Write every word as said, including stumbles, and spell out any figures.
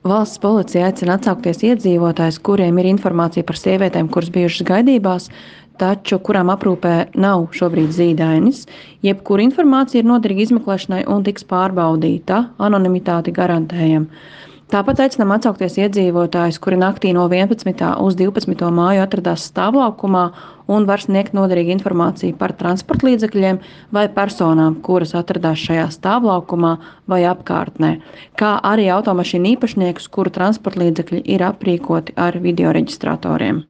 Valsts policija aicina atsaukties iedzīvotājus, kuriem ir informācija par sievietēm, kuras bijušas gaidībās, taču kurām aprūpē nav šobrīd zīdainis. Jebkura informācija ir noderīga izmeklēšanai un tiks pārbaudīta. Anonimitāti garantējam. Tāpat aicinām atsaukties iedzīvotājus, kuri naktī no vienpadsmitā uz divpadsmito māju atradās stāvlaukumā un var sniegt noderīgu informāciju par transportlīdzekļiem vai personām, kuras atradās šajā stāvlaukumā vai apkārtnē, kā arī automašīnu īpašniekus, kuru transportlīdzekļi ir aprīkoti ar videoreģistratoriem.